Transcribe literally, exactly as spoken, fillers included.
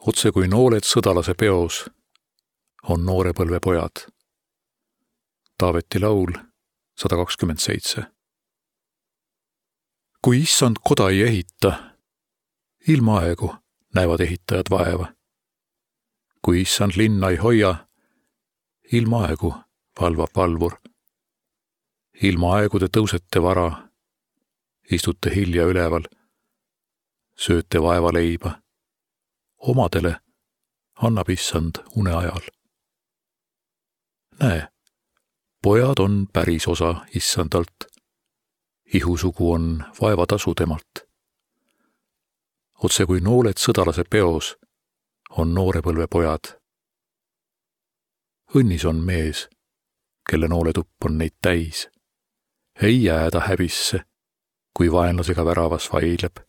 Otse kui nooled sõdalase peos on noorepõlve pojad. Taaveti laul sada kakskümmend seitse. Kui issand koda ei ehita, ilma aegu näevad ehitajad vaeva. Kui issand linna ei hoia, ilma aegu valvab valvur. Ilma aegu te tõusete vara, istute hilja üleval, sööte vaeva leiba. Omadele annab issand une ajal. Näe, pojad on päris osa issandalt. Ihusugu on vaevatasu temalt. Otse kui nooled sõdalase peos on noorepõlve pojad. Õnnis on mees, kelle nooletupp on neid täis. Ei jääda häbisse, kui vaenlasega väravas vaidleb.